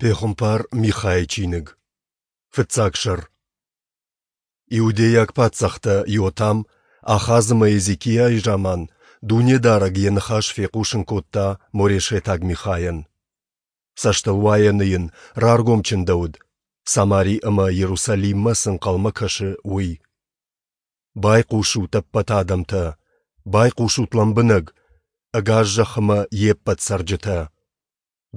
Пехуымпар Михайы чиныг, фыццаг сӕр. Иудейаг паддзӕхтӕ Иотам, Ахаз ӕмӕ Езекиайы заман Дунедарӕг Йӕ ныхас фехъусын кодта морешетаг Михайӕн. Цӕстылуайӕны йын раргом чындӕуыд, Самари ӕмӕ Иерусалиммӕ цы ӕнхъӕлмӕ кӕсы, уый. Байхъусут, ӕппӕт адӕмтӕ, байхъусут лӕмбынӕг, ӕгас зӕхх ӕмӕ йе ппӕт цӕрджытӕ!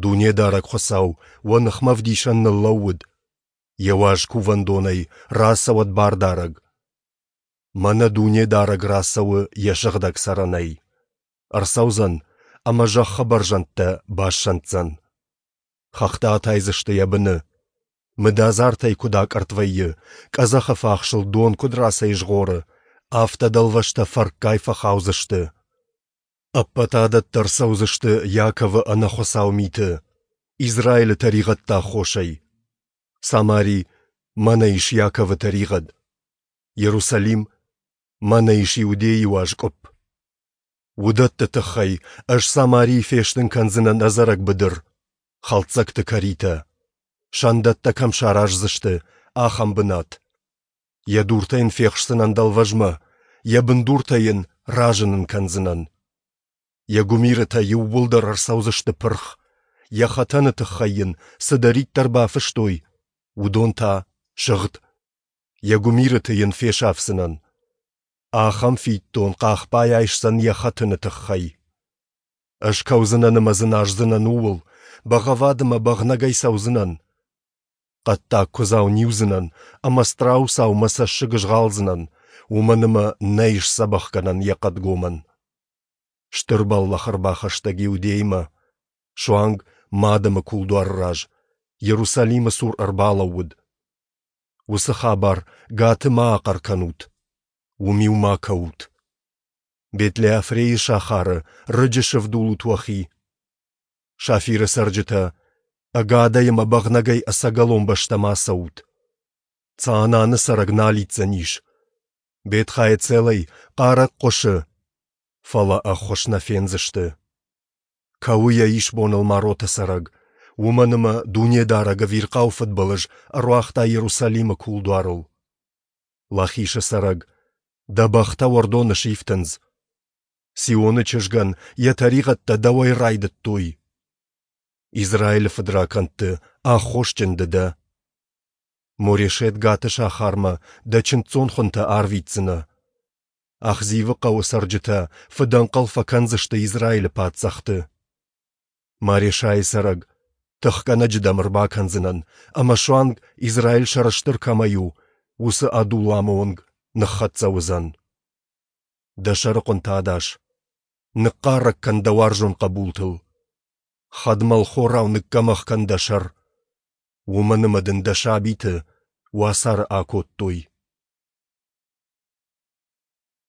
Дунедарӕг Хуыцау уӕ ныхмӕ ӕвдисӕн ныллӕууыд, Йӕ уаз кувӕндонӕй рацӕуӕд Бардарӕг. Мӕнӕ Дунедарӕг рацӕуы Йӕ сыгъдӕг цӕрӕнӕй. Ӕрцӕудзӕн ӕмӕ зӕххы бӕрзӕндтӕ бассӕнддзӕн. Хӕхтӕ атайдзысты йӕ быны. Мыдадзартӕй куыд акъӕртт вӕййы, къӕдзӕхы фахсыл дон куыд рацӕйзгъоры, афтӕ дӕлвӕзтӕ фӕркгай фӕхаудзысты. Ӕппӕт адӕттӕ ӕрцӕудзысты Иаковы ӕнӕхуыцау миты, Израилы тӕригъӕдты аххосӕй. Самари, мӕнӕ ис Иаковы тӕригъӕд. Иерусалим, мӕнӕ ис Иудейы уаз къуыпп. Уыдӕтты тыххӕй ӕз Самарийы фестын кӕндзынӕн ӕдзӕрӕг быдыр, хӕлддзӕгты кӕритӕ, сӕндӕттӕ кӕм сараздзысты, ахӕм бынат. Йӕ дуртӕ йын фехсдзынӕн дӕлвӕзмӕ, йӕ бындуртӕ йын разынын кӕндзынӕн. Йӕ гуымирытӕ иууылдӕр ӕрцӕудзысты пырх, йӕ хӕтӕны тыххӕй йын цыдӕриддӕр бафыстой, уыдон та сыгъд. Йӕ гуымирыты йын фесафдзынӕн. Ахӕм фиддон хъахбай айсдзӕн йӕ хӕтыны тыххӕй. Ӕз кӕудзынӕн ӕмӕ дзыназдзынӕн ууыл, бӕгъӕввад ӕмӕ бӕгънӕгӕй цӕудзынӕн. Хъӕддаг куыдзау ниудзынӕн ӕмӕ страусау мӕ цӕссыг згъалдзынӕн, уымӕн ӕмӕ нӕй сдзӕбӕхгӕнӕн йӕ хъӕдгомӕн. Стыр бӕллӕх ӕрбахӕстӕг Иудеймӕ, суанг ма адӕмы кулдуары раз, Иерусалимы цур ӕрбалӕууыд. Уыцы хабар Гаты ма ахъӕр кӕнут, уым-иу ма кӕут. Бетлеафрейы сахары рыджы сывдулут уӕхи. Сафиры цӕрджытӕ, ӕгадӕй ӕмӕ бӕгънӕгӕй ӕцӕгӕлон бӕстӕм ацӕут. Цаананы цӕрӕг нал иддзӕнис. Бет-Хаэцелӕй хъарӕг хъуысы, фӕлӕ ӕххуыс нӕ фендзысты. Кӕуы йӕ исбоныл Мароты цӕрӕг, уымӕн ӕмӕ Дунедарӕг ӕвирхъау фыдбылыз ӕруагъта Иерусалимы кулдуарыл. Лахисы цӕрӕг, дӕ бӕхтӕ уӕрдоны сифтындз. Сионы чызгӕн йӕ тӕригъӕдтӕ дӕуӕй райдыдтой. Израилы фыдракӕндты аххосджын ды дӕ. Морешет Гаты сахармӕ дӕ чындздзон хуынтӕ арвитдзынӕ. Ахзивы хъӕуы цӕрджытӕ фыдӕнхъӕл фӕкӕндзысты Израилы паддзӕхты. Марешайы цӕрӕг, тыхгӕнӕджы дӕм ӕрбакӕндзынӕн, ӕмӕ суанг, Израиль сӕрыстыр кӕмӕй у, уыцы Адулламы онг ныххӕццӕ уыдзӕн. Дӕ сӕрыхъуынтӕ адас. Ныхъхъарӕг кӕн дӕ уарзон хъӕбултыл. Хӕдмӕлхорау ныггӕмӕх кӕн дӕ сӕр. Уымӕн ӕмӕ дын дӕ сабиты уацары акодтой.